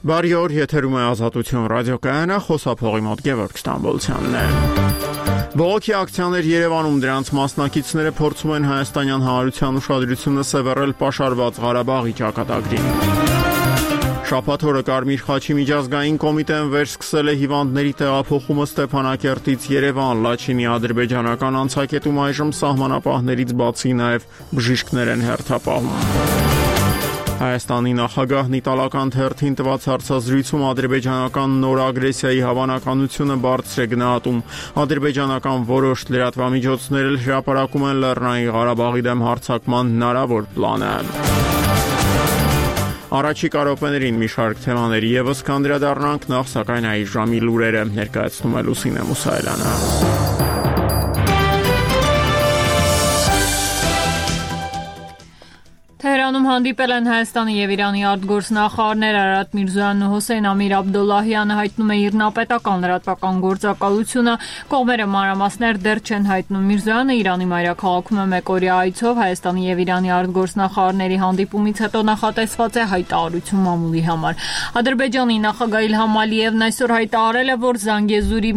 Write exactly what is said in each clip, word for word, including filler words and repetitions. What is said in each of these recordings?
Բարի օր, եթերում է Ազատություն ռադիոկայանը, խոսափողի մոտ Գևորգ Ստամբոլցյանն է։ Բողոքի ակցիաներ Երևանում, դրանց մասնակիցները փորձում են հայաստանյան հանրության ուշադրությունը սևեռել պաշարված Ղարաբաղի ճակատագրին։ Շաբաթ օրը Կարմիր խաչի միջազգային կոմիտեն վերսկսել է հիվանդների տեղափոխումը Ստեփանակերտից Երևան, Լաչինի ադրբեջանական անցակետում այժմ սահմանապահներից բացի նաև բժիշկներ են հերթապահում։ Հայաստանի նախագահն իտալական թերթին տված հարցազրույցում ադրբեջանական նոր ագրեսիայի հավանականությունը բարձր է գնահատում։ Ադրբեջանական որոշ լրատվամիջոցներ էլ հրապարակում են Լեռնային Ղարաբաղի դեմ հարձակման հնարավոր պլանը։ Առաջիկա րոպեներին մի շարք թեմաների ևս կանդրադառնանք, նախ սակայն այս ժամի լուրերը ներկայացնում է Լուսինե Մուսայելյանը։ Թեհրանում հանդիպել են Հայաստանի եւ Իրանի արտգործնախարարներ Արարատ Միրզոյանն ու Հոսեյն Ամիր Աբդոլլահյանը հայտնում է իր նապետական լրատվական գործակալությունը, կողմերը մանրամասներ դեռ չեն հայտնում։ Միրզոյանը Իրանի մայրաքաղաքում է մեկօրյա այցով, Հայաստանի եւ Իրանի արտգործնախարարների հանդիպումից հետո նախատեսված է հայտարարություն մամուլի համար։ Ադրբեջանի նախագահ Իլհամ Ալիևն այսօր հայտարարել է, որ Զանգեզուրի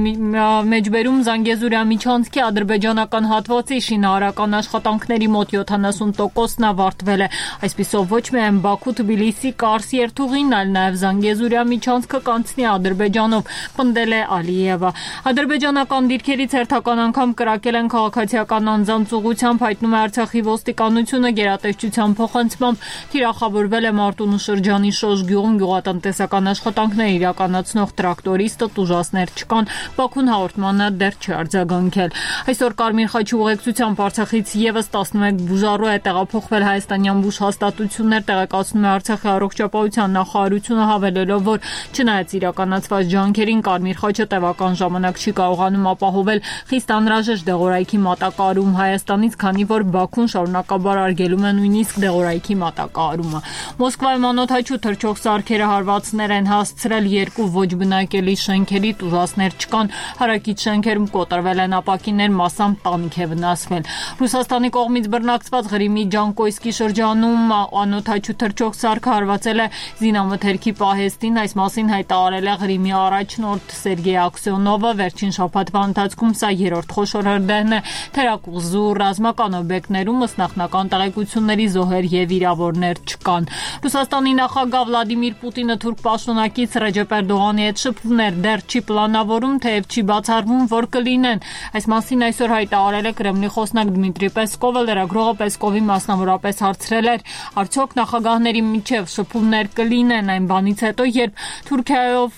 մեջբերում Զանգեզուրի միջանցքի ադրբեջանական հատվածի շինարարական աշխատանքների մոտ յոթանասուն տոկոսն ավարտվել է։ Այսպիսով ոչ միայն Բաքու-Թբիլիսի Կարս երթուղին, այլ նաև Զանգեզուրյա միջանցքը կանցնի Ադրբեջանով, պնդել է Ալիևը։ Ադրբեջանական դիրքերից հերթական անգամ կրակել են քաղաքացիական անձանց ուղղությամբ, հայտնում է Արցախի ոստիկանությունը, գերատեսչության փոխանցմամբ թիրախավորվել է Մարտունու շրջանի Շոշ գյուղում գյուղատնտեսական աշխատանքներ իրականացնող տրակտորիստը, տուժածներ չկան, Բաքուն հաղորդմանը դեռ չի արձագանքել։ Այսօր Կարմիր խաչի ուղեկցությամբ Արցախից ևս տասնմեկ բուժառու է տեղափոխվել Հայաստանյան բուժ հաստատություններ, տեղեկացնում է Արցախի առողջապահության նախարարությունը, հավելելով, որ չնայած իրականացված ջանքերին Կարմիր խաչը տևական ժամանակ չի կարողանում ապահովել խիստ անհրաժեշտ դեղորայքի մատակարարում Հայաստանից, քանի որ Բաքուն շարունակաբար արգելում է նույնիսկ դեղորայքի մատակարարումը։ Մոսկվայում անօդաչու թռչող սարքերը հարվածներ են հասցրել երկու ոչ բնակելի շենքերի, տուժածներ չկան, հարակից շենքերում կոտրվել են ապակիներ, մասամբ տանիք է վնասվել։ Ռուսաստանի կողմից բռնակցված Ղրիմի Ջանկոյսկի շրջանում անօդաչու թռչող սարքը հարվածել է զինամթերքի պահեստին, այս մասին հայտարարել է Ղրիմի առաջնորդ Սերգեյ Աքսյոնովը, վերջին շաբաթվա ընթացքում սա երրորդ խոշոր հրդեհն է թերակղզու ռազմական օբյեկտներում, ըստ նախնական տեղեկությունների զոհեր եւ վիրավորներ չկան։ Ռուսաստանի նախագահ Վլադիմիր Պուտինը թուրք պաշտոնակից Ռեջեփ Էրդողանի հետ շփումներ դեռ չի պլանավորում, թեև չի բացառվում, որ կլինեն։ Այս մասին այսօր հայտարարել է Կրեմլի խոսնակ Դմիտրի Պեսկովը, լրագրողը Պեսկովի մասնավորապես հարցրել էր, արդյոք նախագահների միջև շփումներ կլինեն այն բանից հետո, երբ Թուրքիայով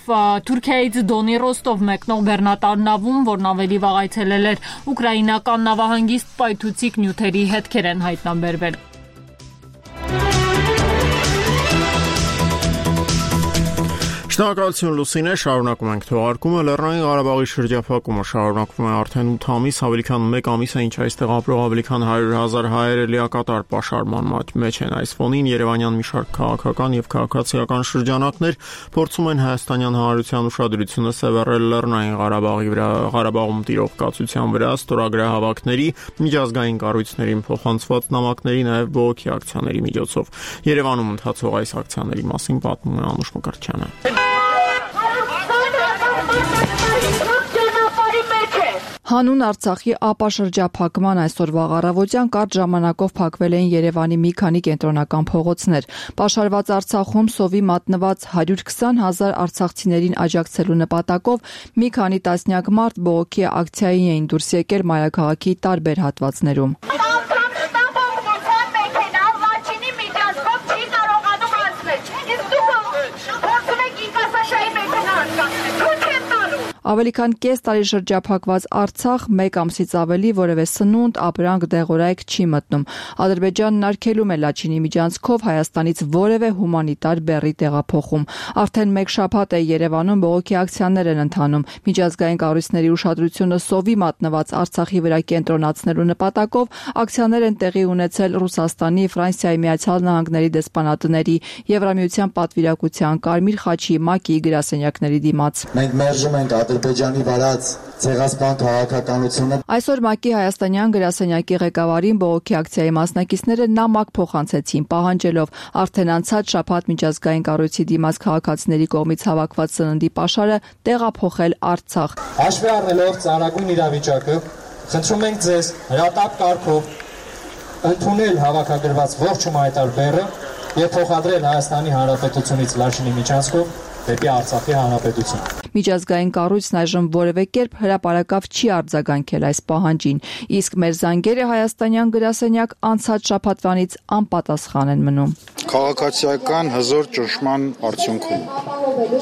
Թուրքիայից Դոնի Ռոստով մեկնող բեռնատար նավում, որն ավելի վաղ այցելել էր ուկրաինական նավահանգիստ, պայթուցիկ նյութերի հետքեր են հայտնաբերվել։ Շնորհակալություն Լուսինե, շարունակում ենք թողարկումը։ Լեռնային Ղարաբաղի շրջափակումը շարունակվում է արդեն ութ ամիս, ավելի քան մեկ ամիս է, ինչ այստեղ ապրող ավելի քան հարյուր հազար հայեր լիակատար պաշարման մեջ են։ Այս ֆոնին Երևանյան մի շարք քաղաքական եւ քաղաքացիական շրջանակներ փորձում են հայաստանյան հանրության ուշադրությունը սևեռել Լեռնային Ղարաբաղի վրա, Ղարաբաղում տիրող կացության վրա, ստորագրահավաքների, միջազգային կառույցներին փոխանցված նամակների, նաեւ բողոքի ակցիաների միջոցով։ Երևանում ընթացող այս ակցիաների մասին պատմում է Անուշ Մկրտչյանը։ Հանուն Արցախի ապաշրջափակման այսօրվա առավոտյան կարճ ժամանակով փակվել էին Երևանի մի քանի կենտրոնական փողոցներ։ Պաշարված Արցախում սովի մատնված հարյուր քսան հազար արցախցիներին աջակցելու նպատակով մի քանի տասնյակ մարդ բողոքի ակցիայի էին դուրս եկել մայրաքաղաքի տարբեր հատվածներում։ Ավելի քան կես տարի շրջափակված Արցախ մեկ ամսից ավելի որևէ սնունդ, ապրանք, դեղորայք չի մտնում։ Ադրբեջանն արգելում է Լաչինի միջանցքով Հայաստանից որևէ հումանիտար բեռի տեղափոխում։ Արդեն մեկ շաբաթ է Երևանում բողոքի ակցիաներ են ընթանում։ Միջազգային կառույցների ուշադրությունը սովի մատնված Արցախի վրա կենտրոնացնելու նպատակով ակցիաներ են տեղի ունեցել Ռուսաստանի, Ֆրանսիայի, Միացյալ Նահանգների դեսպանատների, Եվրամիության պատվիրակության, Կարմիր խաչի, ՄԱԿ-ի գրասենյակների դիմաց։ Մենք մերժում ենք Ադրբեջանի վարած ցեղասպան քաղաքականությունը։ Այսօր ՄԱԿ-ի հայաստանյան գրասենյակի ղեկավարին բողոքի ակցիայի մասնակիցները նամակ փոխանցեցին, պահանջելով արդեն անցած շաբաթ միջազգային կառույցի դիմաց քաղաքացիների կողմից հավաքված սննդի պաշարը տեղափոխել Արցախ։ Հաշվի առնելով ծանրագույն իրավիճակը, խնդրում ենք ձեզ հրատապ կարգով ընդունել հավաքագրված ողջ հումանիտար բեռը եւ փոխադրել Հայաստանի Հանրապետությունից Լաչինի միջանցքով դեպի Արցախի Հանրապետություն։ Միջազգային կառույցն այժմ որևէ կերպ հրապարակավ չի արձագանքել այս պահանջին, իսկ մեր զանգերը հայաստանյան գրասենյակ անցած շաբաթվանից անպատասխան են մնում։ Քաղաքացիական հզոր ճնշման արդյունքում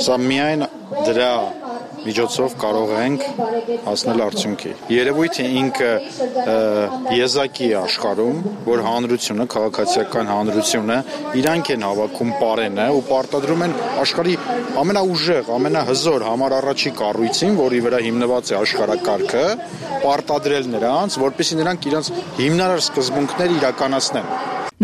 սա միայն դրա միջոցով կարող ենք հասնել արդյունքի։ Երևույթը ինքը եզակի է աշխարհում, որ հանրությունը, քաղաքացիական հանրությունը իրանք են հավաքում պարենը ու պարտադրում են աշխարհի ամենաուժեղ, ամենահզոր համար առաջի կառույցին, որի վրա հիմնված է աշխարհակարգը, պարտադրել նրանց, որպեսզի նրանք իրենց հիմնարար սկզբունքները իրականացնեն։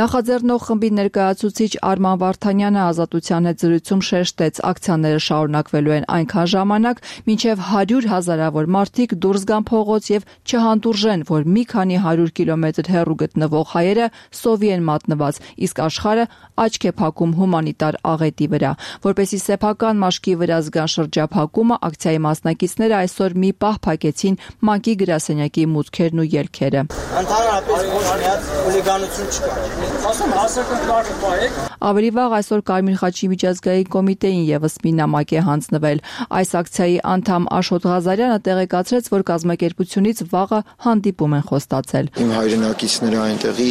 Նախաձեռնող խմբի ներկայացուցիչ Արման Վարդանյանը Ազատության հետ զրույցում շեշտեց, ակցիաները շարունակվելու են այնքան ժամանակ, մինչև հարյուր հազարավոր մարդիկ դուրս գան փողոց եւ չհանդուրժեն, որ մի քանի հարյուր կիլոմետր հեռու գտնվող հայերը սովի են մատնված, իսկ աշխարհը աչք է փակում հումանիտար աղետի վրա։ Որպեսզի սեփական մաշկի վրա զգան շրջափակումը, ակցիայի մասնակիցները այսօր մի պահ փակեցին ՄԱԿ-ի գրասենյակի մուտքերն ու ելքերը։ Ընդհանրապես ոչ միած հուլիգանություն չկա։ Ասում հասարակական կարգը պահեք։ Ավելի վաղ այսօր Կարմիր խաչի միջազգային կոմիտեին եւս մի նամակ է հանձնվել։ Այս ակցիայի անդամ Աշոտ Ղազարյանը տեղեկացրեց, որ կազմակերպությունից վաղը հանդիպում են խոստացել։ Իմ հայրենակիցները այնտեղի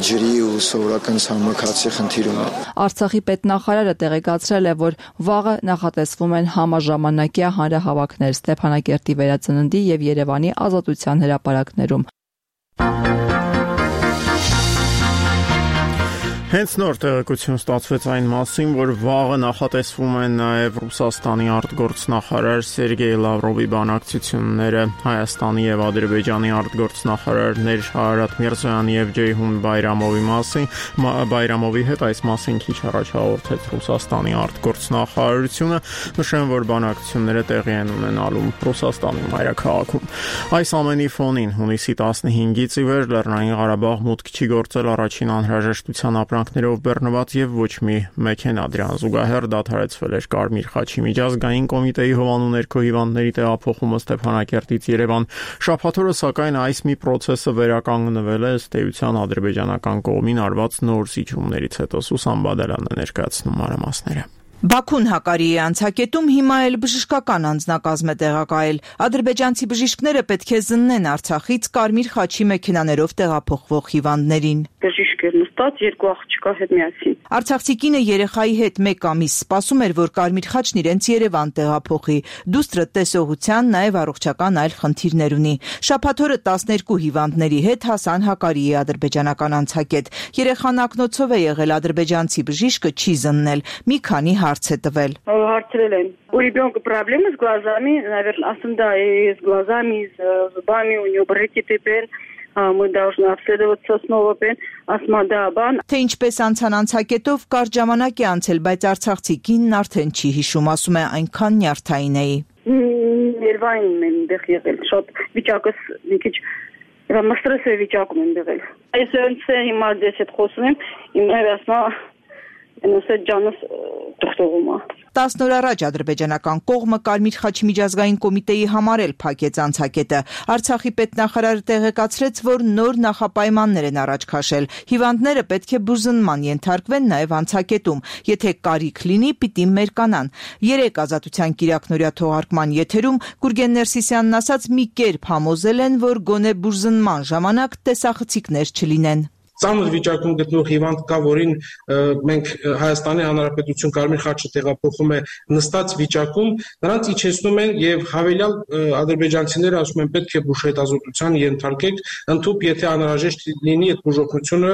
ջրի ու սովորական ցամաքացի խնդիր ունեն։ Արցախի պետնախարարը տեղեկացրել է, որ վաղը նախատեսվում են համաժամանակյա հանրահավաքներ Ստեփանակերտի վերածննդի եւ Երևանի Ազատության հրապարակներում։ Հենց նոր տեղեկություն ստացվեց այն մասին, որ վաղը նախատեսվում են նաև Ռուսաստանի արտգործնախարար Սերգեյ Լավրովի բանակցությունները Հայաստանի եւ Ադրբեջանի արտգործնախարարներ Արարատ Միրզոյանի եւ Ջեյհուն Բայրամովի մասին, Բայրամովի հետ այս մասին քիչ առաջ հաղորդեց Ռուսաստանի արտգործնախարարությունը, նշեմ, որ բանակցությունները տեղի են ունենալու Ռուսաստանի մայրաքաղաքում։ Այս ամենի ֆոնին հունիսի տասնհինգից ի վեր Լեռնային Ղարաբաղ մուտք չի գործել առաջին անհրաժեշտության ապրանքներով բեռնված եւ ոչ մի մեքենա, դրան զուգահեռ դադարեցվել էր Կարմիր խաչի միջազգային կոմիտեի հովանու ներքո հիվանդների տեղափոխումը Ստեփանակերտից Երևան։ Շաբաթ օրը սակայն այս մի process-ը վերականգնվել է ըստ էության ադրբեջանական կողմին արված նոր զիջումներից հետո։ Սուսան Բադալյանն է ներկայացնում մանրամասները։ Բաքուն Հակարի է անցակետում հիմա էլ բժշկական անձնակազմ է տեղակայել։ Ադրբեջանցի բժիշկները պետք է զննեն Արցախից Կարմիր խաչի մեքենաներով տեղափոխվող հիվանդներին։ Բժիշկը նստած երկու աղջկա հետ միասին։ Արցախցի կինը երեխայի հետ մեկ ամիս սպասում էր, որ Կարմիր խաչն իրենց Երևան տեղափոխի։ Դուստրը տեսողության, նաև առողջական այլ խնդիրներ ունի։ Շաբաթ օրը տասներկու հիվանդների հետ հասան Հակարիի ադրբեջանական անցակետ։ Երեխան ակնոցով է եղել, ադրբեջանցի бժիշկը չի զննել։ Մի քանի հարց է тվել. Հարցրել են. У ребенка проблемы с глазами, наверное, ասում դա и с глазами, и с зубами, у него бронхиты пен, мы должны обследоваться снова пен, ասма դա բան։ Թե ինչպես անցան անցակետով կարճ ժամանակ է անցել, բայց Արցախցի կինն արդեն չի հիշում, ասում է այնքան նյարդային էի։ Ներվային եմ դեղ եղել, շատ վիճակս մի քիչ մստրես է վիճակում եմ եղել։ Այսօր հիմա դες հետ խոսում եմ, իմ հերասնա Նոսետ ջանս թողտողում է։ տասն օր առաջ ադրբեջանական կողմը Կարմիր խաչի միջազգային կոմիտեի համար էլ փակեց անցակետը։ Արցախի պետնախարարը տեղեկացրեց, որ նոր նախապայմաններ են առաջ քաշել։ Հիվանդները պետք է բուժզնման ենթարկվեն նաև անցակետում։ Եթե կարիք լինի, պիտի մերկանան։ Երեք ազատության կիրակնօրյա թողարկման եթերում Գուրգեն Ներսիսյանն ասաց, մի կերպ համոզել են, որ գոնե բուժզնման ժամանակ տեսախցիկներ չլինեն։ Ծանր վիճակում գտնող հիվանդ կա, որին մենք Հայաստանի Հանրապետություն Կարմիր խաչը տեղափոխում է նստած վիճակում, նրանց իջեցնում են եւ հավելյալ ադրբեջանցիները ասում են պետք է բուժհետազոտության ենթարկեք, ընդհանուր եթե անհրաժեշտ լինի այդ բուժօգնությունը,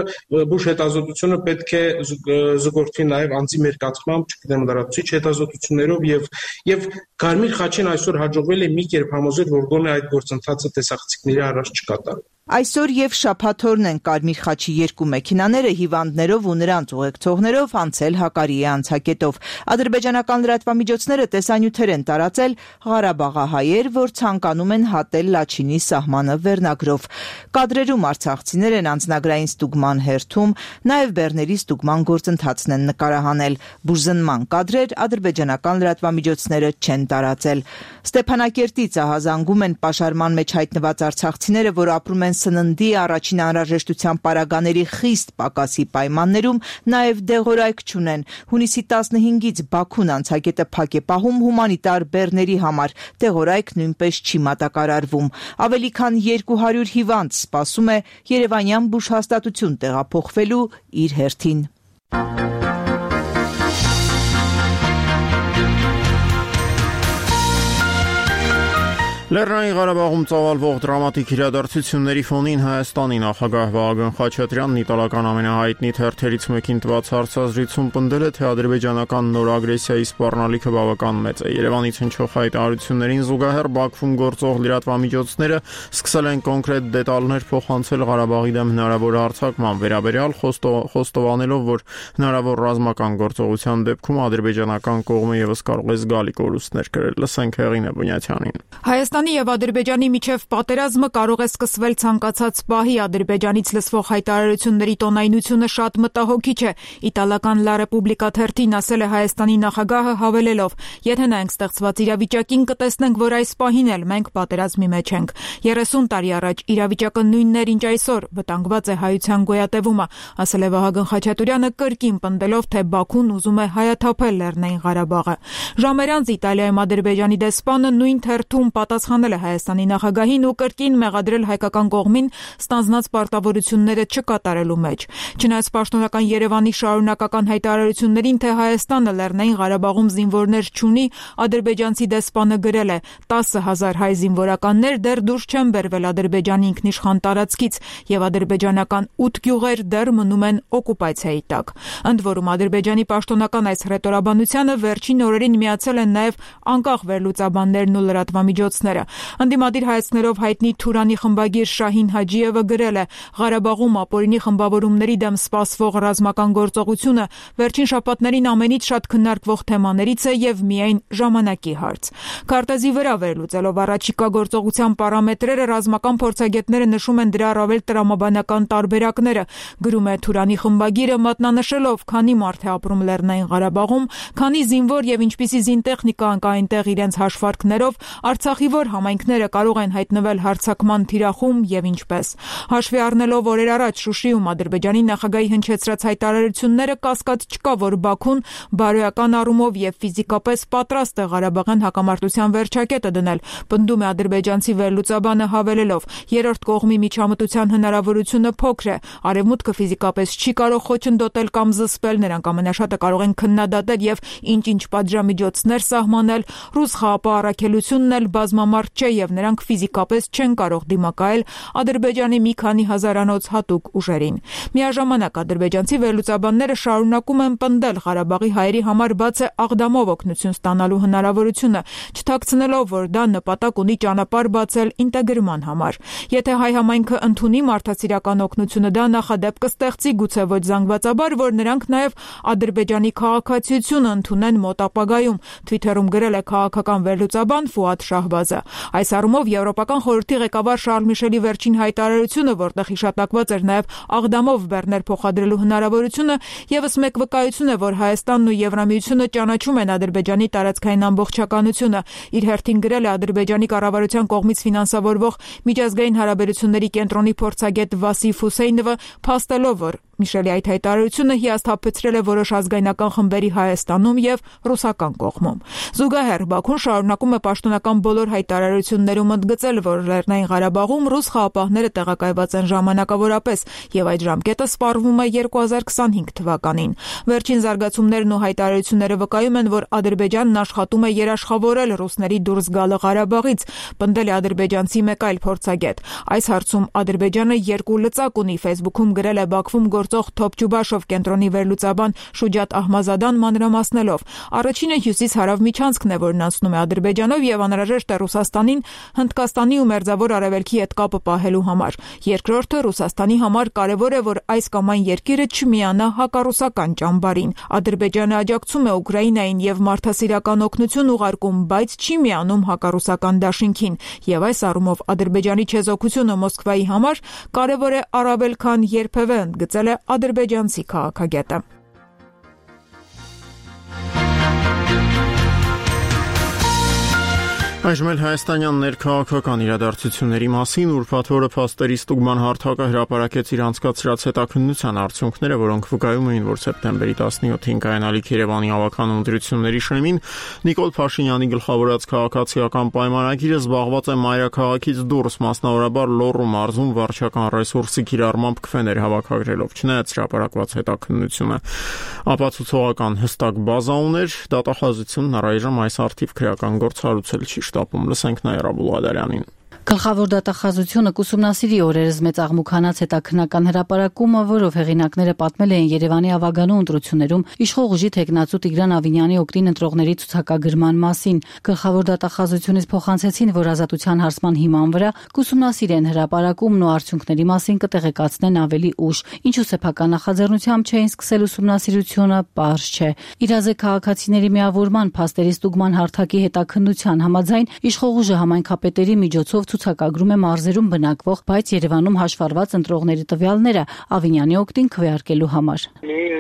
բուժհետազոտությունը պետք է զուգորդվի նաեւ անձի մերկացմամբ, չգիտեմ, լրացուցիչ հետազոտություններով եւ եւ Կարմիր խաչին այսօր հաջողվել է մի կերպ համոզել, որ գոնե այդ գործընթացը տեսախցիկների առաջ չկատարվի։ Այսօր եւ շաբաթօրն են Կարմիր խաչի երկու մեքենաները հիվանդներով ու նրանց ուղեկցողներով անցել Հակարիի անցակետով։ Ադրբեջանական լրատվամիջոցները տեսանյութեր են տարածել Ղարաբաղահայեր, որ ցանկանում են հատել Լաչինի սահմանը վերնագրով։ Կադրերում արցախցիներ են անձնագրային ստուգման հերթում, նաեւ բեռների ստուգման գործընթացն են նկարահանել։ Բուժզնման կադրեր ադրբեջանական լրատվամիջոցները չեն տարածել։ Ստեփանակերտից ահազանգում են պաշարման մեջ հայտնված արցախցիները, որ ապրում են սննդի առաջին անհրաժեշտության պարագաների խիստ պակասի պայմաններում, նաև դեղորայք չունեն։ Հունիսի տասնհինգից Բաքուն անցակետը փակ է պահում հումանիտար բեռների համար, դեղորայք նույնպես չի մատակարարվում։ Ավելի քան երկու հարյուր հիվանդ սպասում է երևանյան բուժհաստատություն տեղափոխվելու իր հերթին։ Լեռնային Ղարաբաղում ծավալվող դրամատիկ իրադարձությունների ֆոնին Հայաստանի նախագահ Վահագն Խաչատրյանն իտալական ամենահայտնի թերթերից մեկին տված հարցազրույցում պնդել է, թե ադրբեջանական նոր ագրեսիայի սպառնալիքը բավական մեծ է։ Երևանից հնչող հայտարարություններին զուգահեռ Բաքվում գործող լրատվամիջոցները սկսել են կոնկրետ դետալներ փոխանցել Ղարաբաղի դեմ հնարավոր հարձակման վերաբերյալ, խոստովանելով, որ հնարավոր ռազմական գործողության դեպքում ադրբեջանական կողմը ևս կարող է զգալի կորուստներ կրել։ Լսենք Հեղինե Բունյաթյանին։ Հայաստանի եւ Ադրբեջանի միջև պատերազմը կարող է սկսվել ցանկացած պահի։ Ադրբեջանից լսվող հայտարարությունների տոնայնությունը շատ մտահոգիչ է։ Իտալական La Repubblica թերթին ասել է Հայաստանի նախագահը, հավելելով. «Եթե նայենք ստեղծված իրավիճակին, կտեսնենք, որ այս պահին էլ մենք պատերազմի մեջ ենք։ երեսուն տարի առաջ իրավիճակը նույնն էր, ինչ այսօր, վտանգված է հայության գոյատևումը», ասել է Վահագն Խաչատուրյանը, կրկին պնդելով, թե Բաքուն ուզում է հայաթափել Լեռնային Ղարաբաղը։ Ժամեր անց Իտալիայում Ադրբեջանի դեսպանը նույն թերթում պատասխանել է Հայաստանի նախագահին ու կրկին մեղադրել հայկական կողմին ստանձնած պարտավորությունները չկատարելու մեջ։ Չնայած պաշտոնական Երևանի շարունակական հայտարարություններին, թե Հայաստանը Լեռնային Ղարաբաղում զինվորներ չունի, ադրբեջանցի դեսպանը գրել է. տասը հազար հայ զինվորականներ դեռ դուրս չեն բերվել Ադրբեջանի ինքնիշխան տարածքից եւ ադրբեջանական ութ գյուղեր դեռ մնում են օկուպացիայի տակ։ Ընդ որում Ադրբեջանի պաշտոնական այս հռետորաբանությանը վերջին օրերին միացել են նաեւ անկախ վերլուծաբաններն ու լրատվամիջոցները։ Ընդդիմադիր հայացքներով հայտնի Թուրանի խմբագիր Շահին Հաջիևը գրել է. Ղարաբաղում ապօրինի խմբավորումների դեմ սպասվող ռազմական գործողությունը վերջին շաբաթներին ամենից շատ քննարկվող թեմաներից է եւ միայն ժամանակի հարց։ Քարտեզի վրա վերլուծելով առաջիկա գործողության պարամետրերը, ռազմական փորձագետները նշում են դրա առավել տրամաբանական տարբերակները, գրում է Թուրանի խմբագիրը, մատնանշելով, քանի մարդ է ապրում Լեռնային Ղարաբաղում, քանի զինվոր եւ ինչպիսի զինտեխնիկա կա այնտեղ իրենց հաշվարկներով, Արցախի որ համայնքները կարող են հայտնվել հարձակման թիրախում եւ ինչպես։ Հաշվի առնելով օրեր առաջ Շուշիում Ադրբեջանի նախագահի հնչեցրած հայտարարությունները, կասկած չկա, որ Բաքուն բարոյական առումով եւ ֆիզիկապես պատրաստ է Ղարաբաղյան հակամարտության վերջակետը դնել, պնդում է ադրբեջանցի վերլուծաբանը, հավելելով. երրորդ կողմի միջամտության հնարավորությունը փոքր է, արևմուտքը ֆիզիկապես չի կարող խոչընդոտել կամ զսպել, նրանք ամենաշատը կարող են քննադատել եւ ինչ-ինչ պատժամիջոցներ սահմանել, ռուս խաղապահ առաքելությունն էլ բազմամարդ չէ եւ նրանք ֆիզիկապես չեն կարող դիմակայել Ադրբեջանի մի քանի հազարանոց հատուկ ուժերին։ Միաժամանակ ադրբեջանցի վերլուծաբանները շարունակում են պնդել Ղարաբաղի հայերի համար բաց է աղդամով օգնություն ստանալու հնարավորությունը, չթաքցնելով, որ դա նպատակ ունի ճանապարհ բացել ինտեգրման համար։ Եթե հայ համայնքը ընդունի մարդասիրական օգնությունը, դա նախադեպ կստեղծի, գուցե ոչ զանգվածաբար, որ նրանք նաեւ Ադրբեջանի քաղաքացիությունը ընդունեն մոտ ապագայում, Twitter-ում գրել է քաղաքական վերլուծաբան Ֆուադ Շահբազը։ Այս առումով Եվրոպական խորհրդի ղեկավար Շարլ Միշելի վերջին հայտարարությունը, որտեղ հիշատակված էր նաև աղդամով բեռներ փոխադրելու հնարավորությունը, եւս մեկ վկայություն է, որ Հայաստանն ու Եվրամիությունը ճանաչում են Ադրբեջանի տարածքային ամբողջականությունը։ Իր հերթին գրել է Ադրբեջանի կառավարության կողմից ֆինանսավորվող միջազգային հարաբերությունների կենտրոնի փորձագետ Վասիֆ Հուսեյնովը, փաստելով, որ Միշելի այդ հայտարարությունը հիասթափեցրել է որոշ ազգայնական խմբերի Հայաստանում եւ ռուսական կողմում։ Զուգահեռ Բաքուն շարունակում է պաշտոնական բոլոր հայտարարություններում ընդգծել, որ Լեռնային Ղարաբաղում ռուս խաղապահները տեղակայված են ժամանակավորապես եւ այդ ժամկետը սպառվում է երկու հազար քսանհինգ թվականին։ Վերջին զարգացումներն ու հայտարարությունները վկայում են, որ Ադրբեջանն աշխատում է երաշխավորել ռուսների դուրս գալը Ղարաբաղից, պնդել է ադրբեջանցի մեկ այլ փորձագետ։ Այս հարցում Ադրբեջանը երկու լծակ ունի, Facebook-ում գրել է Բաքվում գործող Թոփ-Ջուբաշով կենտրոնի վերլուծաբան Շուջատ Ահմազադան մանրամասնելով. առաջինը հյուսիս-հարավ միջանցքն է, որն անցնում է Ադրբեջանով եւ անհրաժեշտ է Ռուսաստանին Հնդկաստանի ու Մերձավոր Արևելքի հետ կապը պահելու համար։ Երկրորդը Ռուսաստանի համար կարևոր է, որ այս կամ այն երկիրը չմիանա հակառուսական ճամբարին։ Ադրբեջանը աջակցում է Ուկրաինային եւ մարդասիրական օգնություն ուղարկում, բայց չի միանում հակառուսական դաշինքին, եւ այս առումով Ադրբեջանի չեզոքությունը Մոսկվայի համար կարևոր է առավել քան երբևէ, ընդգծել է ադրբեջանցի քաղաքագետը։ Այժմ էլ հայաստանյան ներքաղաքական իրադարձությունների մասին ուրբաթ օրը փաստերի ստուգման հարթակը հրապարակեց իր անցկացրած հետաքննության արդյունքները, որոնք վկայում էին, որ սեպտեմբերի տասնյոթին կայանալիք Երևանի ավականն ընտրությունների շեմին Նիկոլ Փաշինյանի գլխավորած քաղաքացիական պայմանագիրը զբաղված է մայրաքաղաքից դուրս, մասնավորաբար Լոռու մարզում վարչական ռեսուրսի կիրառմամբ քվեներ հավաքագրելով, չնայած հրապարակված հետաքննությունը ապացուցողական հստակ բազա ուներ, դատախազությունն առայժմ այս արդիվ քրեական գործառույթ չի շտապում, լսենք Նաիրա Բուլղադարյանին։ Գլխավոր դատախազությունը կուսումնասիրի օրերս մեծ աղմուկանաց հետաքննական հրապարակումը, որով հեղինակները պատմել էին Երևանի ավագանու ընտրություններում իշխող ուժի թեկնածու Տիգրան Ավինյանի օգտին ընտրողների ցուցակագրման մասին։ Գլխավոր դատախազությունից փոխանցեցին, որ ազատության հարցման հիման վրա կուսումնասիրեն հրապարակումն ու արդյունքների մասին կտեղեկացնեն ավելի ուշ։ Ինչու սեփական նախաձեռնությամբ չէին սկսել ուսումնասիրությունը, պարզ չէ։ Իրազեկ քաղաքացիների միավորման փաստերի ստուգման հարթակի հետաքննության համաձայն իշխող ուժը համայնքապետերի միջոցով ցուցակագրում է մարզերում բնակվող, բայց Երևանում հաշվառված ընտրողների տվյալները Ավինյանի օգտին քվեարկելու համար։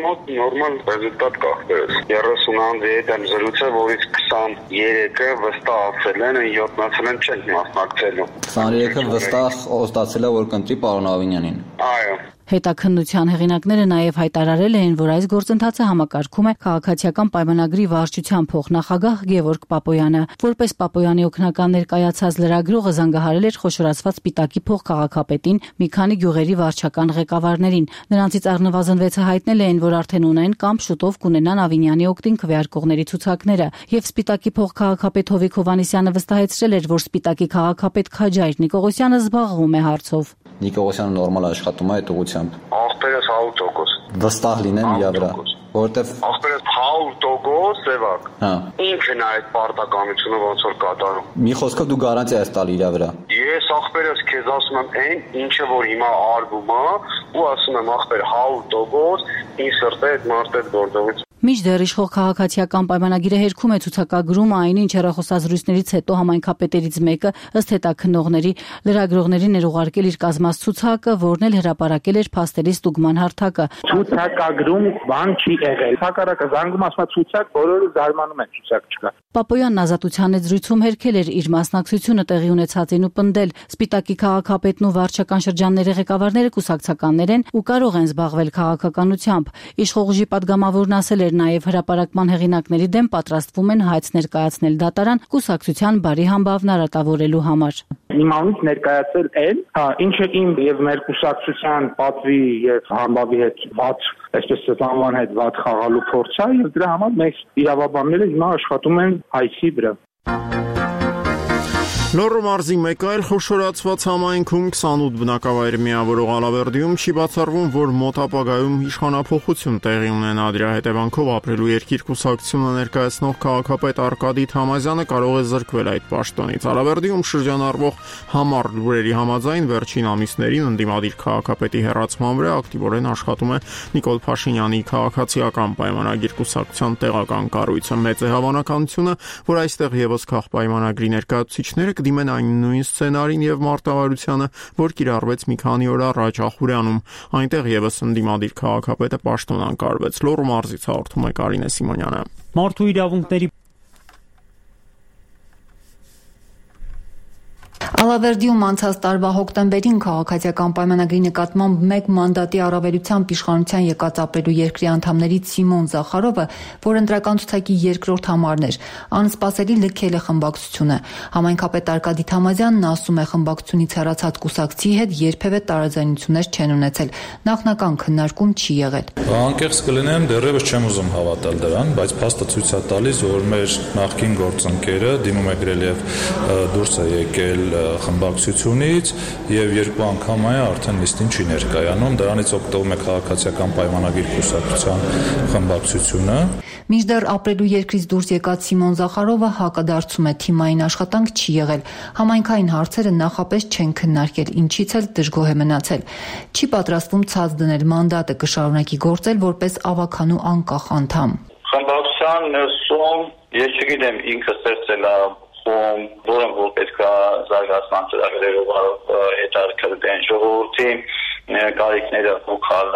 Մոտ նորմալ ռեզուլտատ կա։ երեսուն անձի հետ եմ զրուցել, որից քսաներեքը վստահ ասել են, յոթանասուն չեն մասնակցելու։ քսաներեքը վստահ ստացել է, որ կընտրի պարոն Ավինյանին։ Այո։ Հետաքննության հեղինակները նաև հայտարարել էին, որ այս գործընթացը համակարգում է քաղաքացիական պայմանագրի վարչության փոխնախագահ Գևորգ Պապոյանը։ Որպես Պապոյանի օգնական ներկայացած լրագրողը զանգահարել էր խոշորացված Սպիտակի փոխքաղաքապետին, մի քանի գյուղերի վարչական ղեկավարներին։ Նրանցից առնվազն վեցը հայտնել էին, որ արդեն ունեն կամ շուտով կունենան Ավինյանի օգտին քվեարկողների ցուցակները, եւ Սպիտակի փոխքաղաքապետ Հովիկ Հովհաննիսյանը վստահեցրել էր, որ Սպիտակի քաղաքապետ Քաջայր Նիկողոսյանը զբաղվում է հարցով։ Նիկողոսյանը նորմալ աշխատում է այդ ուղղությամբ։ Ախպերս հարյուր տոկոս։ Վստահ լինեմ իրա վրա, որովհետև ախպերս հարյուր տոկոս սևակ։ Հա։ Ինքն է այդ պարտականությունը ոնց որ կատարում։ Մի խոսքով դու գարանտիա ես տալի իրա վրա։ Ես ախպերս քեզ ասում եմ այն, ինչը որ հիմա արվում է, ու ասում եմ ախպեր հարյուր տոկոս, ինձ սրտե այդ մարդը գործողից։ Մինչդեռ իշխող քաղաքացիական պայմանագիրը հերքում է ցուցակագրում, այնինչ հեռախոսազրույցներից հետո համայնքապետերից մեկը ըստ հետաքննողների լրագրողներին էր ուղարկել իր կազմած ցուցակը, որն էլ հրապարակել էր փաստերի ստուգման հարթակը։ Ցուցակագրում բան չի եղել։ Հակառակը զանգում ասում է ցուցակ, բոլորը զարմանում են ցուցակ չկա։ Պապոյանն ազատության հետ զրույցում հերքել էր իր մասնակցությունը տեղի ունեցածին ու պնդել. Սպիտակի քաղաքապետն ու վարչական շրջանների ղեկավարները կուսակցականներ են ու կարող են զբաղվել քաղաքականությամբ։ Իշխող ուժի падգամավորն ասել էր նաև հրապարակման հեղինակների դեմ պատրաստվում են հայց ներկայացնել դատարան կուսակցության բարի համբավն արատավորելու համար։ Իմ անունից ներկայացել են, հա, ինչը իմ եւ մեր կուսակցության պատվի եւ համբավի հետ ված, այսպես անվան հետ ված խաղալու փորձ է, եւ դրա համար մեծ իրավաբանները հիմա աշխատում են հայցի վրա։ Լոռու մարզի մեկ այլ խոշորացված համայնքում քսանութ բնակավայր միավորող Ալավերդիում չի բացառվում, որ մոտ ապագայում իշխանափոխություն տեղի ունենա։ Դրա հետևանքով ապրելու երկիր կուսակցությունը ներկայացնող քաղաքապետ Արկադի Թամազյանը կարող է զրկվել այդ պաշտոնից։ Ալավերդիում շրջանառվող համառ լուրերի համաձայն վերջին ամիսներին ընդդիմադիր քաղաքապետի հեռացման վրա ակտիվորեն աշխատում է Նիկոլ Փաշինյանի քաղաքացիական պայմանագիր կուսակցության տեղական կառույցը։ Մեծ է հավանականությունը, որ այստեղ եւս քաղաքապայմանագրի ներկայացուցիչները դիմեն այն նույն սցենարին եւ մարտավարությանը, որ կիրառվեց մի քանի օր առաջ Ախուրյանում։ Այնտեղ եւս ընդդիմադիր քաղաքապետը պաշտոնանկարվեց։ Լոռու մարզից հաղորդում է Կարինե Սիմոնյանը։ Մարդու իրավունքների Ալավերդիում անցած տարվա հոկտեմբերին քաղաքացիական պայմանագրի նկատմամբ մեկ մանդատի առավելությամբ իշխանության եկած ապրելու երկրի անդամներից Սիմոն Զախարովը, որ ընտրական ցուցակի երկրորդ համարն էր, անսպասելի լքել է խմբակցությունը։ Համայնքապետ Արկադի Թամազյանն ասում է, խմբակցությունից հեռացած կուսակցի հետ երբևէ տարաձայնություններ չեն ունեցել, նախնական քննարկում չի եղել։ Անկեղծ կլինեմ, դեռևս չեմ ուզում հավատալ դրան, բայց փաստը ցույց է տալիս, որ մեր նախկին գործընկերը դիմում է գրել եւ դուրս է եկել խմբակցությունից եւ երկու անգամ այ արդեն նիստին չի ներկայանում, դրանից օգտվում է քաղաքացիական պայմանագիր կուսակցության խմբակցությունը։ Մինչդեռ ապրելու երկրից դուրս եկած Սիմոն Զախարովը հակադարձում է թիմային աշխատանք չի եղել, համայնքային հարցերը նախապես չեն քննարկել, ինչից էլ դժգոհ է մնացել։ Չի պատրաստվում ցած դնել մանդատը, կշարունակի գործել որպես ավականու անկախ անդամ։ Խմբակցության ներսում ես չգիտեմ ինքը ստեղծել է խոմ, որը որ պետք է զարգացման ծրագրերով հետարկել ժողովրդի կարիքները հոգալ,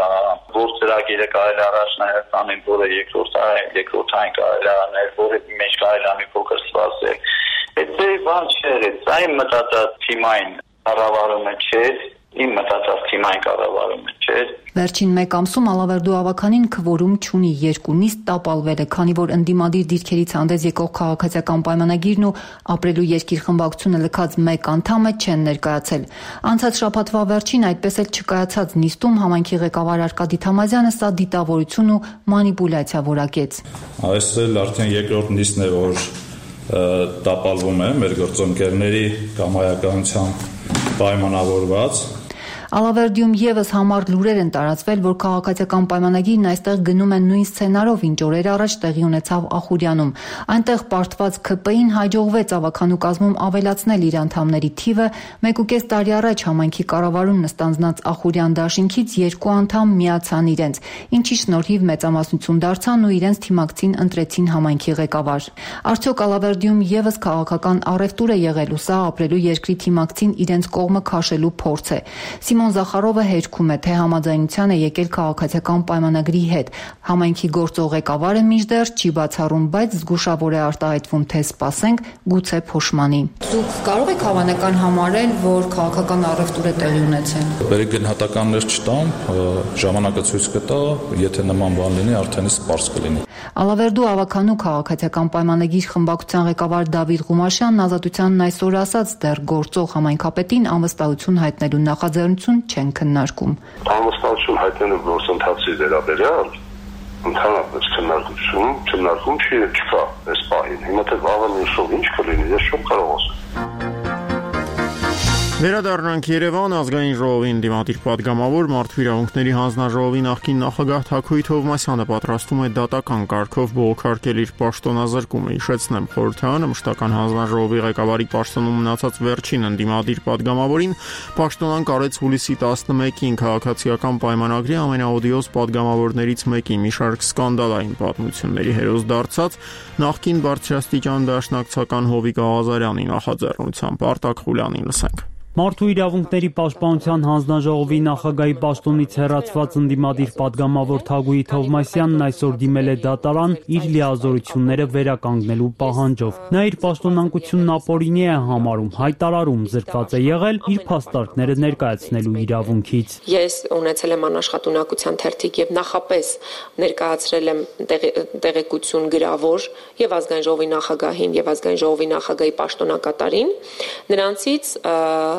որ ծրագիրը կարելի առաջ նաև տանել, որը երկրորդային երկրորդային կարելի անել, որը մեջ կարելի է մի փոքր սպասել։ Այդ բան չէ, այն մտածած թիմային կառավարումը չէ, իմ մտածած թիմային կառավարումը չէ։ Վերջին մեկ ամսում Ալավերդու ավականին քվորում չունի, երկու նիստ տապալվել է, քանի որ ընդդիմադիր դիրքերից հանդես եկող քաղաքացիական պայմանագիրն ու ապրելու երկիր խմբակցությունը լքած մեկ անդամը չեն ներկայացել։ Անցած շաբաթվա վերջին այդպես էլ չկայացած նիստում համայնքի ղեկավար Արկադի Թամազյանը սա դիտավորություն ու մանիպուլյացիա որակեց։ Այս էլ արդեն երկրորդ նիստն է, որ տապալվում է մեր գործընկերների կամայականությամբ պայմանավորված։ Ալավերդիում եւս համառ լուրեր են տարածվել, որ քաղաքացիական պայմանագիրն այստեղ գնում են նույն սցենարով, ինչ օրեր առաջ տեղի ունեցավ Ախուրյանում։ Այնտեղ պարտված K P I-ին հաջողվեց ավականու կազմում ավելացնել իր անդամների թիվը, մեկ ու կես տարի առաջ համայնքի կառավարումն ստանձնած Ախուրյան դաշինքից երկու անդամ միացան իրենց, ինչի շնորհիվ մեծամասնություն դարձան ու իրենց թիմակցին ընտրեցին համայնքի ղեկավար։ Արդյոք Ալավերդիում եւս քաղաքական առևտուր է եղել ու սա ապրելու երկրի թիմակցին իրենց կողմը քաշելու փորձ է։ Սիմոն Զախարովը հերքում է, թե համաձայնության է եկել քաղաքացիական պայմանագրի հետ։ Համայնքի գործող ղեկավարը մինչդեռ չի բացառում, բայց զգուշավոր է արտահայտվում, թե սպասենք, գուցե փոշմանի։ Դուք կարող եք հավանական համարել, որ քաղաքական առևտուր է տեղի ունեցել։ Բերեք գնահատականներ չտամ, ժամանակը ցույց կտա, եթե նման բան լինի, արդեն սպառս կլինի։ Ալավերդու ավականու քաղաքացիական պայմանագիր խմբակցության ղեկավար Դավիթ Ղումաշյանն Ազատությանն այսօր ասաց, դեռ գործող համայնքապետին անվստահություն հայտնելու նախաձեռնություն չեն քննարկում։ Անվստահություն հայտնելու գործընթացի վերաբերյալ ընդհանրապես քննարկություն, քննարկում չի չկա այս պահին։ Հիմա թե վաղը նշող ինչ կլինի, ես չեմ կարող ասել։ Վերադառնանք Երևան ազգային ժողովի ընդդիմադիր պատգամավոր Մարդու իրավունքների հանձնաժողովի նախկին նախագահ Թաքուի Թովմասյանը պատրաստում է դատական կարգով բողոքարկել իր պաշտոնազրկումը։ Հիշեցնեմ, խորհրդարանը մշտական հանձնաժողովի ղեկավարի պաշտոնում մնացած վերջին ընդդիմադիր պատգամավորին պաշտոնանկ արեց հուլիսի տասնմեկին քաղաքացիական պայմանագրի ամենաօդիոզ պատգամավորներից մեկի մի շարք սկանդալային պատմությունների հերոս դարձած նախկին բարձրաստիճան դաշնակցական Հովիկ Աղազարյանի նախաձեռնությամբ։ Արտակ Խուլյանին լսենք։ Մարդու իրավունքների պաշտպանության հանձնաժողովի նախագահի պաշտոնից հեռացված ընդդիմադիր պատգամավոր Թագուհի Թովմասյանն այսօր դիմել է դատարան իր լիազորությունները վերականգնելու պահանջով։ Նա իր պաշտոնանկությունն ապօրինի է համարում, հայտարարում զրկված է եղել իր փաստարկները ներկայացնելու իրավունքից։ Ես ունեցել եմ անաշխատունակության թերթիկ եւ նախապես ներկայացրել եմ տեղեկություն գրավոր եւ ազգային ժողովի նախագահին եւ ազգային ժողովի նախագահի պաշտոնակատարին, նրանցից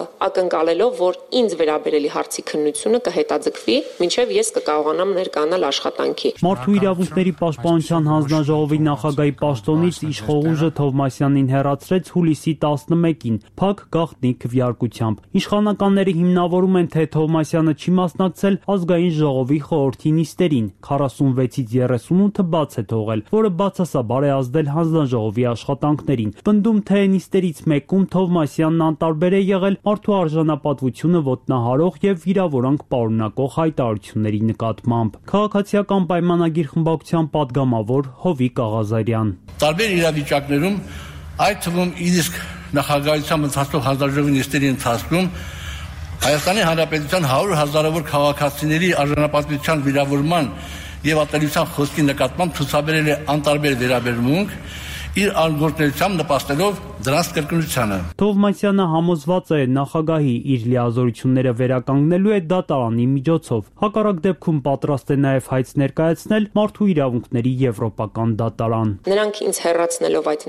ակնկալելով, որ ինձ վերաբերելի հարցի քննությունը կհետաձգվի, մինչև ես կկարողանամ ներկայանալ աշխատանքի։ Մարդու իրավունքների պաշտպանության հանձնաժողովի նախագահի պաշտոնից իշխող ուժը Թովմասյանին հեռացրեց հուլիսի տասնմեկին, փակ գաղտնի քվեարկությամբ։ Իշխանականները հիմնավորում են, թե Թովմասյանը չի մասնակցել ազգային ժողովի խորհրդի նիստերին, քառասունվեցից երեսունութը բաց է թողել, որը բացասաբար է ազդել հանձնաժողովի աշխատանքներին։ Պնդում, թե նիստերից մեկում Թովմասյանն անտարբեր է եղել մարդու արժանապատվությունը ոտնահարող եւ վիրավորանք պարունակող հայտարարությունների նկատմամբ։ Քաղաքացիական պայմանագիր խմբակցության падգամավոր Հովիկ Աղազարյան։ Տարբեր իրավիճակներում, այդ թվում իսկ նախագահությամբ ընթացող հանձնաժողովի նիստերի ընթացքում Հայաստանի Հանրապետության հարյուր հազարավոր քաղաքացիների արժանապատվության վիրավորման եւ ատելության խոսքի նկատմամբ ցուցաբերել է անտարբեր վերաբերմունք, իր արգորտնությամբ նպաստելով դրանց կրկնությանը։ Թովմասյանը համոզված է նախագահի իր լիազորությունները վերականգնելու է դատարանի միջոցով։ Հակառակ դեպքում պատրաստ է նաև հայց ներկայացնել Մարդու իրավունքների եվրոպական դատարան։ Նրանք ինձ հեռացնելով այդ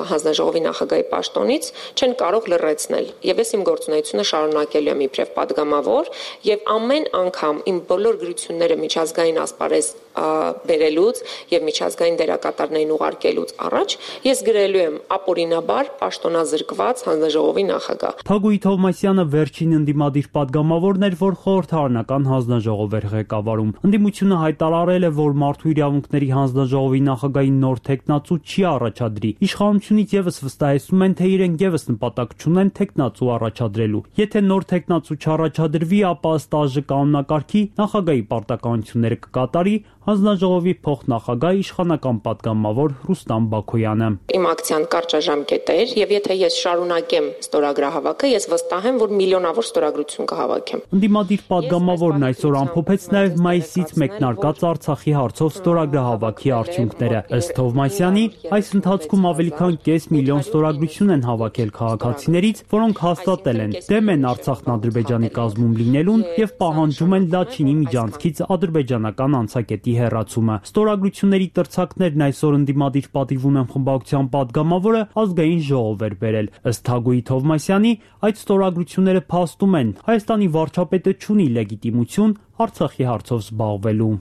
հանձնաժողովի նախագահի պաշտոնից չեն կարող լրացնել, եւ ես իմ գործունեությունը շարունակելու եմ իբրև падգամավոր եւ ամեն անգամ իմ բոլոր գրությունները միջազգային ասպարեզ բերելուց եւ միջազգային դերակատարներին ուղարկելուց առաջ ես գրելու եմ ապօրինաբար պաշտոնազրկված հանձնաժողովի նախագահ։ Թագուհի Թովմասյանը վերջին ընդդիմադիր պատգամավորն էր, որ խորհրդարանական հանձնաժողով էր ղեկավարում։ Ընդդիմությունը հայտարարել է, որ Մարդու իրավունքների հանձնաժողովի նախագահի նոր թեկնածու չի առաջադրի։ Իշխանությունից եւս վստահեցնում են, թե իրենք եւս նպատակ չունեն թեկնածու առաջադրելու։ Եթե նոր թեկնածու չառաջադրվի, ապա ստաժը կանոնակարգի նախագահի պարտականությունները կկատարի հանձնաժողովի փոխնախագահ իշխանական պատգամավոր Ռուստամ Բաքոյանը։ Իմ ակցիան կարճաժամկետ էր, եւ եթե ես շարունակեմ ստորագրահավաքը, ես վստահ եմ, որ միլիոնավոր ստորագրություն կհավաքեմ։ Ընդդիմադիր պատգամավորն այսօր ամփոփեց նաեւ մայիսից մեկնարկած Արցախի հարցով ստորագրահավաքի արդյունքները։ Ըստ Թովմասյանի, այս ընթացքում ավելի քան կես միլիոն ստորագրություն են հավաքել քաղաքացիներից, որոնք հաստատել են դեմ են Արցախն Ադրբեջանի կազմում լինելուն եւ պահանջում են Լաչինի միջանցքից ադրբեջանական անցակետի հեռացումը։ Ստորագրությունների տրցակներն այսօր ընդդիմադիր պատիվ ունեն խմբակցության պատգամավորը ազգային ժողով էր բերել։ Ըստ Թագուհի Թովմասյանի, այդ ստորագրությունները փաստում են Հայաստանի վարչապետը չունի լեգիտիմություն Արցախի հարցով զբաղվելու։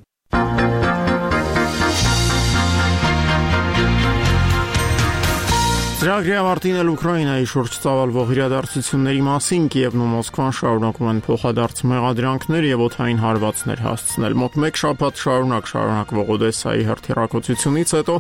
Ծրագրի ավարտին էլ Ուկրաինայի շուրջ ծավալվող իրադարձությունների մասին Կիևն ու Մոսկվան շարունակում են փոխադարձ մեղադրանքներ եւ օդային հարվածներ հասցնել։ Մոտ մեկ շաբաթ շարունակ շարունակվող Օդեսայի հրթիռակոծությունից հետո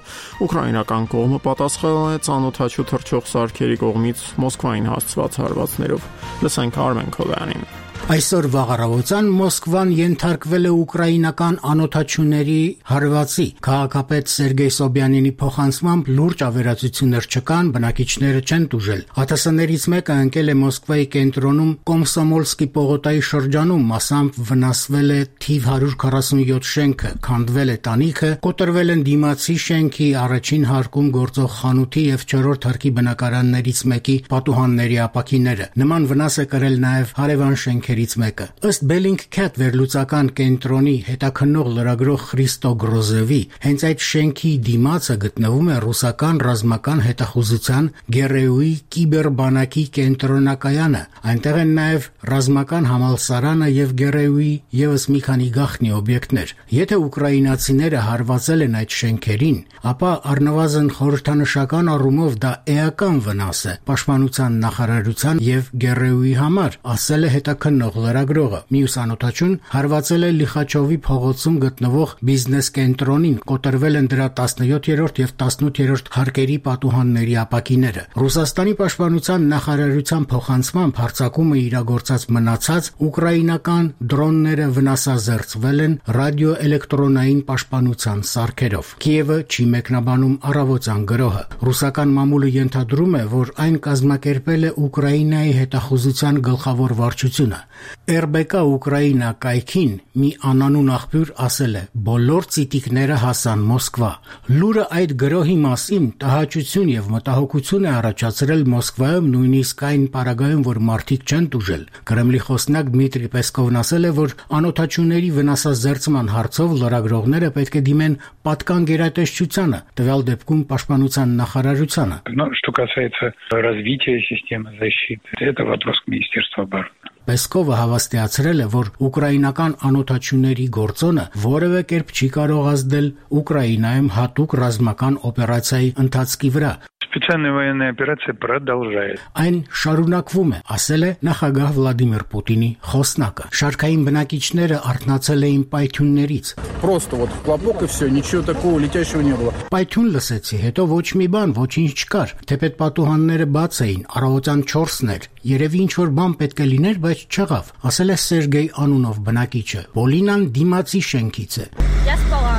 ուկրաինական կողմը պատասխանել է ծանոթաչու թռչող սարքերի կողմից Մոսկվային հասցված հարվածներով։ Լսենք Արմեն Քովյանին։ Այսօր վաղ առավոտյան Մոսկվան ենթարկվել է ուկրաինական անօթաչուների հարվածի։ Քաղաքապետ Սերգեյ Սոբյանինի փոխանցմամբ լուրջ ավերածություններ չկան, բնակիչները չեն տուժել։ ԱԹՍ-ներից մեկը ընկել է Մոսկվայի կենտրոնում Կոմսոմոլսկի պողոտայի շրջանում, մասամբ վնասվել է թիվ հարյուր քառասունյոթ շենքը, քանդվել է տանիքը, կոտրվել են դիմացի շենքի առաջին հարկում գործող խանութի եւ չորրորդ հարկի բնակարաններից մեկի պատուհանների ապակիները։ Նման վնաս է կրել նաեւ հարևան շենքերի մեկը։ Ըստ Bellingcat վերլուծական կենտրոնի հետաքննող լրագրող Խրիստո Գրոզևի, հենց այդ շենքի դիմացը գտնվում է ռուսական ռազմական հետախուզության Գերեուի կիբերբանակի կենտրոնակայանը։ Այնտեղ են նաև ռազմական համալսարանը եւ Գերեուի եւս մի քանի գաղտնի օբյեկտներ։ Եթե ուկրաինացիները հարվածել են այդ շենքերին, ապա առնվազն խորհրդանշական առումով դա էական վնաս է պաշտպանության նախարարության եւ Գերեուի համար, ասել է հետաքննող լրագրողը։ Մյուս անօթաչուն հարվածել է Լիխաչովի փողոցում գտնվող բիզնես կենտրոնին, կոտրվել են դրա տասնյոթերորդ եւ տասնութերորդ հարկերի պատուհանների ապակիները։ Ռուսաստանի պաշտպանության նախարարության փոխանցմամբ հարձակումը իրագործած մնացած ուկրաինական դրոնները վնասազերծվել են ռադիոէլեկտրոնային պաշտպանության սարքերով։ Կիևը չի մեկնաբանում առավոտյան գրոհը։ Ռուսական մամուլը ենթադրում է, որ այն կազմակերպել է Ուկրաինայի հետախուզության գլխավոր վարչությունը։ эр бэ կ Ուկրաինա կայքին մի անանուն աղբյուր ասել է. բոլոր ցիտիկները հասան Մոսկվա։ Լուրը այդ գրոհի մասին տհաճություն եւ մտահոգություն է առաջացրել Մոսկվայում, նույնիսկ այն պարագայում, որ մարդիկ չեն տուժել։ Կրեմլի խոսնակ Դմիտրի Պեսկովն ասել է, որ անօթաչուների վնասազերծման հարցով լրագրողները պետք է դիմեն պատկան գերատեսչությանը, տվյալ դեպքում պաշտպանության նախարարությանը։ Что касается развития системы защиты, это вопрос к Министерству обороны. Պեսկովը հավաստիացրել է, որ ուկրաինական անօթաչուների գործոնը որևէ կերպ չի կարող ազդել Ուկրաինայում հատուկ ռազմական օպերացիայի ընթացքի վրա։ Специальная военная операция продолжается. Այն շարունակվում է, ասել է նախագահ Վլադիմիր Պուտինի խոսնակը։ Շարքային բնակիչները արթնացել էին պայթյուններից։ Просто вот хлопок и все, ничего такого летящего не было. Պայթյուն լսեցի, հետո ոչ մի բան, ոչինչ չկար։ Թեպետ պատուհանները բաց էին, առավոտյան չորսն էր։ Երևի ինչ-որ бан պետք է լիներ, բայց չեղավ, ասել է Սերգեյ անունով բնակիչը։ Պոլինան դիմացի շենքից է։ Я спала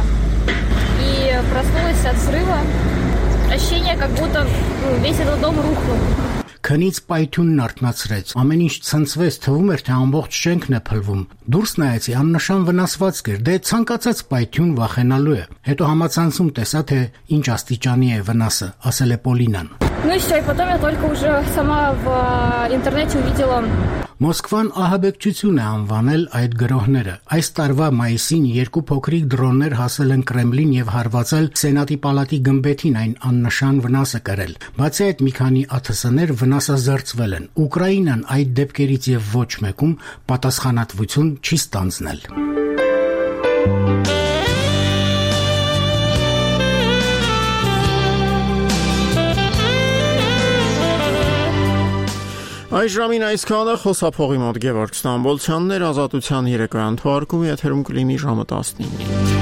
и проснулась от взрыва. Ощущение, как будто весь этот дом рухнул. Քնից պայթյունն արթնացրեց։ Ամեն ինչ ցնցվեց, թվում էր, թե ամբողջ շենքն է փլվում։ Դուրս նայեցի, աննշան վնասվածք էր։ Դե ցանկացած պայթյուն վախենալու է։ Հետո համացանցում տեսա, թե ինչ աստիճանի է վնասը, ասել է Պոլինան։ Ну и всё, и потом я только уже сама в интернете увидела. Մոսկվան ահաբեկչություն է անվանել այդ գրոհները։ Այս տարվա մայիսին երկու փոքրիկ դրոններ հասել են Կրեմլին եւ հարվածել Սենատի պալատի գմբեթին, այն աննշան վնաս է կրել։ Բացի այդ, մի քանի ԱԹՍ-ներ վնասազերծվել են։ Ուկրաինան այդ դեպքերից եւ ոչ մեկում պատասխանատվություն չի ստանձնել։ Այս ժամին այսքանը խոսափողի մոտ Գևորգ Ստամբոլցյանն էր, Ազատության երեկոյան թողարկումը եթերում կլինի ժամը տասնինը։